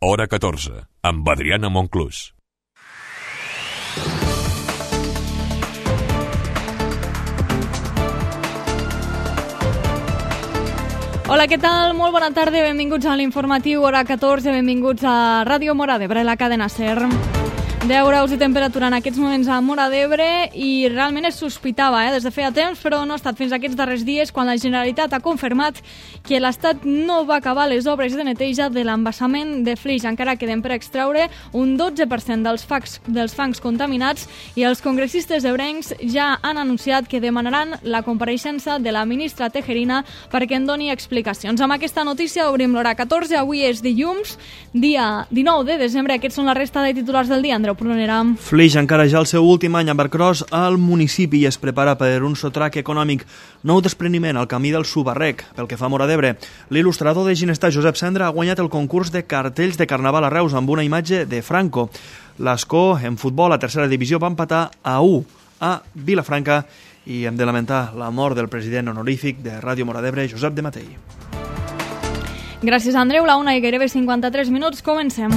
Hora 14, amb Adriana Monclús. Hola, què tal? Molt bona tarda, benvinguts a l'informatiu Hora 14, benvinguts a Ràdio Móra d'Ebre, la cadena SER. 10 graus de temperatura en aquests moments a Móra d'Ebre i realment es sospitava des de feia temps, però no ha estat fins aquests darrers dies quan la Generalitat ha confirmat que l'Estat no va acabar les obres de neteja de l'embassament de Flix. Encara queden per extraure un 12% dels fangs contaminats i els congressistes ebrencs ja han anunciat que demanaran la compareixença de la ministra Tejerina perquè en doni explicacions. Amb aquesta notícia obrim l'Hora 14. Avui és dilluns, dia 19 de desembre. Aquests són la resta de titulars del dia. Andreu Prunera. Flix encara ja el seu últim any a Barcross al municipi i es prepara per un sotrac econòmic. Nou despreniment al camí del Subarrec. Pel que fa a Móra d'Ebre, l'il·lustrador de Ginestar Josep Cendra ha guanyat el concurs de cartells de Carnaval a Reus amb una imatge de Franco. L'Escó, en futbol, a tercera divisió, va empatar a 1 a Vilafranca i hem de lamentar la mort del president honorífic de Ràdio Móra d'Ebre, Josep de Matei. Gràcies, Andreu. La 1 i gairebé 53 minuts. Comencem.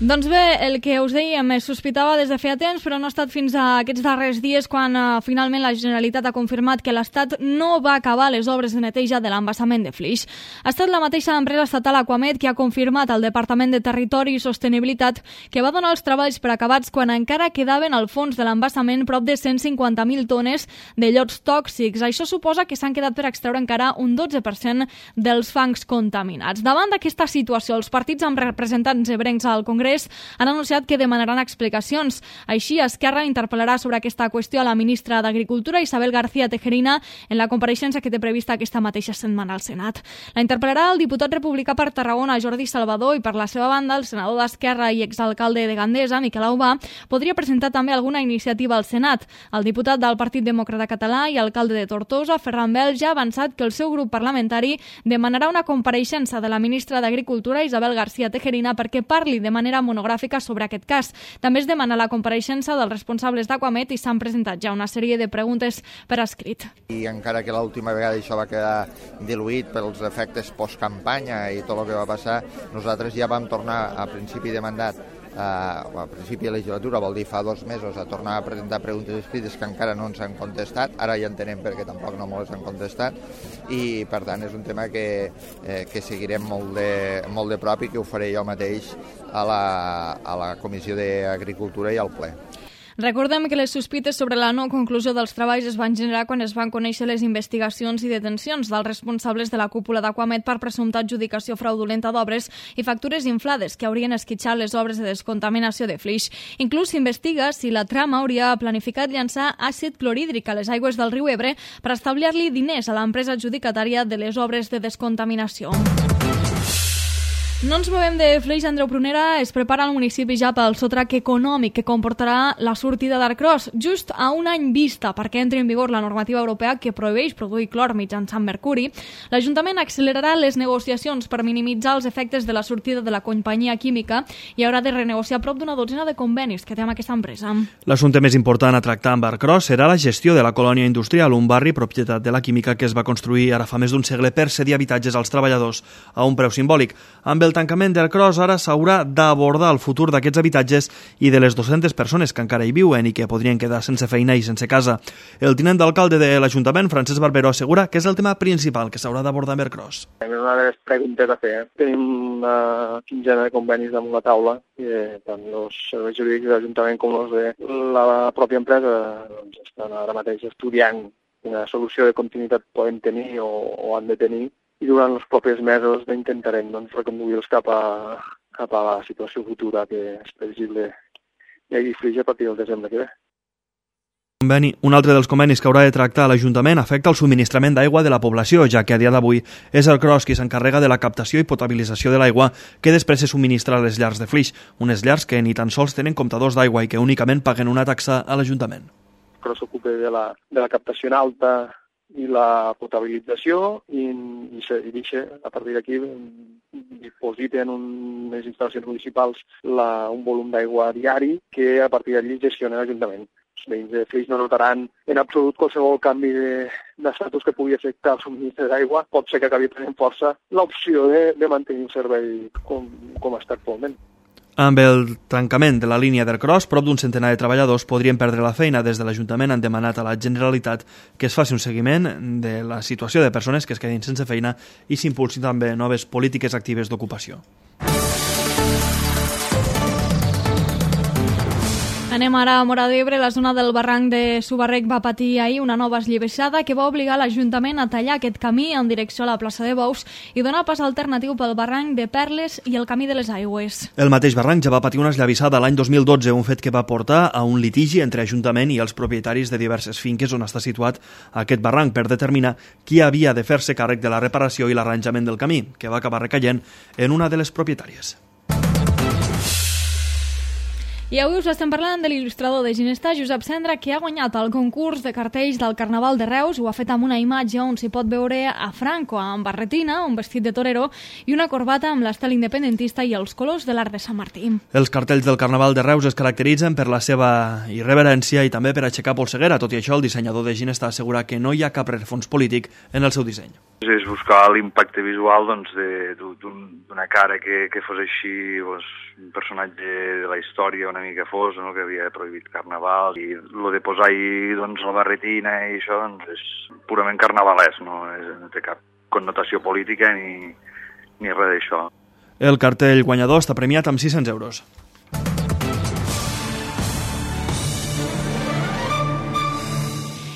Doncs bé, el que us dèiem es sospitava des de feia temps, però no ha estat fins a aquests darrers dies quan finalment la Generalitat ha confirmat que l'Estat no va acabar les obres de neteja de l'embassament de Flix. Ha estat la mateixa empresa estatal Aquamed que ha confirmat al Departament de Territori i Sostenibilitat que va donar els treballs per acabats quan encara quedaven al fons de l'embassament prop de 150.000 tones de llots tòxics. Això suposa que s'han quedat per extreure encara un 12% dels fangs contaminats. Davant d'aquesta situació, els partits amb representants ebrencs al Congrés han anunciat que demanaran explicacions. Així, Esquerra interpel·larà sobre aquesta qüestió a la ministra d'Agricultura, Isabel García Tejerina, en la compareixença que té prevista aquesta mateixa setmana al Senat. La interpel·larà el diputat republicà per Tarragona, Jordi Salvador, i per la seva banda, el senador d'Esquerra i exalcalde de Gandesa, Miquel Aubà, podria presentar també alguna iniciativa al Senat. El diputat del Partit Demòcrata Català i alcalde de Tortosa, Ferran Bel, ja ha avançat que el seu grup parlamentari demanarà una compareixença de la ministra d'Agricultura, Isabel García Tejerina, perquè parli de manera monogràfica sobre aquest cas. També es demana la compareixença dels responsables d'Aquamed i s'han presentat ja una sèrie de preguntes per escrit. I encara que l'última vegada això va quedar diluït pels efectes postcampanya i tot el que va passar, nosaltres ja vam tornar a principi de mandat, a principi de legislatura, vol dir fa 2 mesos, a tornar a presentar preguntes escrites que encara no ens han contestat. Ara ja entenem perquè tampoc no ens han contestat i per tant és un tema que seguirem molt de prop i que ho faré jo mateix a la Comissió d'Agricultura i al ple. Recordem que les sospites sobre la no conclusió dels treballs es van generar quan es van conèixer les investigacions i detencions dels responsables de la cúpula d'Aquamed per presumpta adjudicació fraudulenta d'obres i factures inflades que haurien esquitxat les obres de descontaminació de Flix. Inclús s'investiga si la trama hauria planificat llançar àcid clorhídric a les aigües del riu Ebre per establir-li diners a l'empresa adjudicatària de les obres de descontaminació. No ens movem de Flix, Andreu Prunera. Es prepara el municipi ja pel sotrac econòmic que comportarà la sortida d'Arcross, just a un any vista perquè entri en vigor la normativa europea que prohibeix produir clor mitjançant mercuri. L'Ajuntament accelerarà les negociacions per minimitzar els efectes de la sortida de la companyia química i haurà de renegociar prop d'una dotzena de convenis que té amb aquesta empresa. L'assumpte més important a tractar amb Arcross serà la gestió de la colònia industrial, un barri propietat de la química que es va construir ara fa més d'un segle per cedir habitatges als treballadors a un preu simbòlic. Amb el tancament d'Arcross ara s'haurà d'abordar el futur d'aquests habitatges i de les 200 persones que encara hi viuen i que podrien quedar sense feina i sense casa. El tinent d'alcalde de l'Ajuntament, Francesc Barberó, assegura que és el tema principal que s'haurà d'abordar amb Arcross. És una de les preguntes a fer. Tenim una quinzena de convenis damunt la taula i tant els serveis jurídics de l'Ajuntament com els de la pròpia empresa estan ara mateix estudiant quina solució de continuïtat poden tenir o han de tenir. I durant els propers mesos intentarem reconduir-los cap a la situació futura que és previsible hi hagi Flix a partir del desembre que ve. Un altre dels convenis que haurà de tractar l'Ajuntament afecta el subministrament d'aigua de la població, ja que a dia d'avui és Arcross qui s'encarrega de la captació i potabilització de l'aigua que després se subministra a les llars de Flix, unes llars que ni tan sols tenen comptadors d'aigua i que únicament paguen una taxa a l'Ajuntament. Arcross s'ocupa de la captació en alta i la potabilització i deixa, a partir d'aquí, diposita en unes instal·lacions municipals un volum d'aigua diari que a partir d'allí gestiona l'Ajuntament. Els veïns de Flix no notaran en absolut qualsevol canvi d'estatus que pugui afectar el subministre d'aigua, pot ser que acabi prenent força l'opció de mantenir un servei com està actualment. Amb el tancament de la línia d'Ercros, prop d'un centenar de treballadors podrien perdre la feina. Des de l'Ajuntament han demanat a la Generalitat que es faci un seguiment de la situació de persones que es quedin sense feina i s'impulsin també noves polítiques actives d'ocupació. Anem ara a Móra d'Ebre. La zona del barranc de Subarrec va patir ahir una nova esllavissada que va obligar l'Ajuntament a tallar aquest camí en direcció a la plaça de Bous i donar pas alternatiu pel barranc de Perles i el camí de les Aigües. El mateix barranc ja va patir una esllavissada l'any 2012, un fet que va portar a un litigi entre Ajuntament i els propietaris de diverses finques on està situat aquest barranc per determinar qui havia de fer-se càrrec de la reparació i l'arranjament del camí, que va acabar recaient en una de les propietàries. I avui us estem parlant de l'il·lustrador de Ginestar, Josep Cendra, que ha guanyat el concurs de cartells del Carnaval de Reus. Ho ha fet amb una imatge on s'hi pot veure a Franco amb barretina, un vestit de torero i una corbata amb l'estel independentista i els colors de l'Arc de Sant Martí. Els cartells del Carnaval de Reus es caracteritzen per la seva irreverència i també per aixecar polseguera. Tot i això, el dissenyador de Ginestar assegura que no hi ha cap rerefons polític en el seu disseny. És buscar l'impacte visual d'una cara que fos així, un personatge de la història una mica fos, no? Que havia prohibit carnaval, i el de posar-hi la barretina i això és purament carnavalès, no té cap connotació política ni res d'això. El cartell guanyador està premiat amb 600 euros.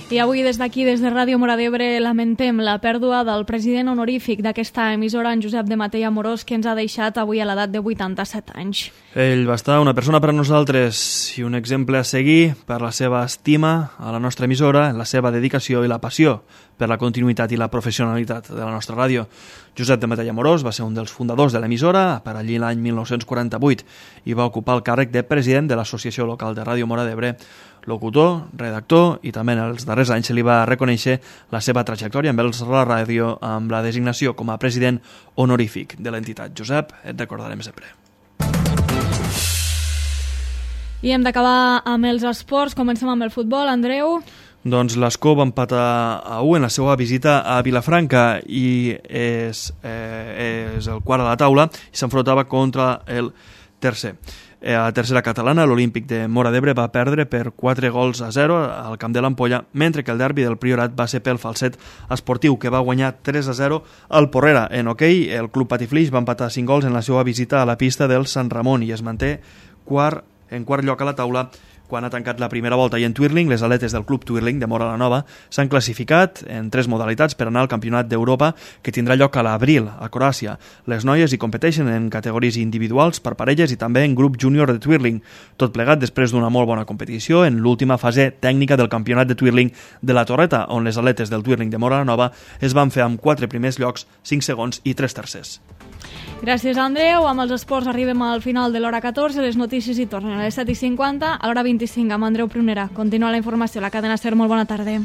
I avui des d'aquí, des de Ràdio Móra d'Ebre, lamentem la pèrdua del president honorífic d'aquesta emissora, en Josep de Matei Amorós, que ens ha deixat avui a l'edat de 87 anys. Ell va estar una persona per a nosaltres i un exemple a seguir per la seva estima a la nostra emissora, la seva dedicació i la passió per la continuïtat i la professionalitat de la nostra ràdio. Josep de Matei Amorós va ser un dels fundadors de l'emissora per allí l'any 1948 i va ocupar el càrrec de president de l'Associació Local de Ràdio Móra d'Ebre, locutor, redactor, i també en els darrers anys se li va reconèixer la seva trajectòria amb la ràdio amb la designació com a president honorífic de l'entitat. Josep, et recordarem sempre. I hem d'acabar amb els esports. Comencem amb el futbol. Andreu? Doncs l'Escó va empatar a 1 en la seva visita a Vilafranca i és el quart a la taula i s'enfrontava contra el tercer. A la tercera catalana, l'Olímpic de Móra d'Ebre va perdre per 4-0 al camp de l'Ampolla, mentre que el derbi del Priorat va ser pel Falset Esportiu, que va guanyar 3-0 al Porrera. En hoquei, el Club Patiflix va empatar 5 gols en la seva visita a la pista del Sant Ramon i es manté en quart lloc a la taula quan ha tancat la primera volta. I en twirling, les atletes del Club Twirling de Móra la Nova s'han classificat en 3 modalitats per anar al Campionat d'Europa que tindrà lloc a l'abril a Croàcia. Les noies hi competeixen en categories individuals, per parelles i també en grup júnior de twirling. Tot plegat després d'una molt bona competició en l'última fase tècnica del Campionat de Twirling de la Torreta, on les atletes del Twirling de Móra la Nova es van fer amb 4 primers llocs, 5 segons i 3 tercers. Gràcies, Andreu. Amb els esports arribem al final de l'hora 14. Les notícies hi tornen a les 7:50. A l'hora 25 amb Andreu Prunera. Continua la informació a la cadena SER. Molt bona tarda.